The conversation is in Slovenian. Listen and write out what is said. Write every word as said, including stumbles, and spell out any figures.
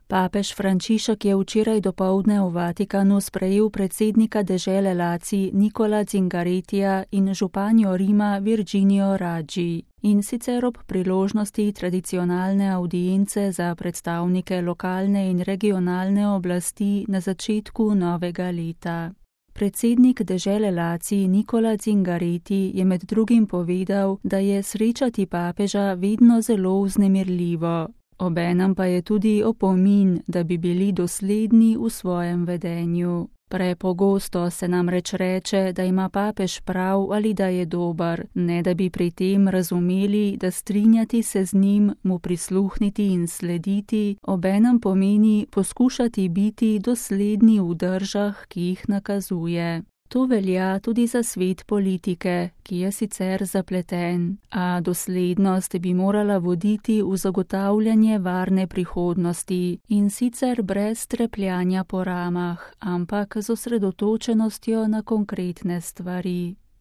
Papež Frančišek je včeraj dopoldne v Vatikanu sprejel predsednika dežele Lacij Nicola Zingarettija in županjo Rima Virginio Raggi, in sicer ob priložnosti tradicionalne avdience za predstavnike lokalne in regionalne oblasti na začetku novega leta. Predsednik dežele Lacij Nicola Zingaretti je med drugim povedal, da je srečati papeža vedno zelo vznemirljivo. Obenem pa je tudi opomin, da bi bili dosledni v svojem vedenju. Prepogosto se namreč reče, da ima papež prav ali da je dober, ne da bi pri tem razumeli, da strinjati se z njim, mu prisluhniti in slediti, obenem pomeni poskušati biti dosledni v držah, ki jih nakazuje. To velja tudi za svet politike, ki je sicer zapleten, a doslednost bi morala voditi v zagotavljanje varne prihodnosti in sicer brez trepljanja po ramah, ampak z osredotočenostjo na konkretne stvari.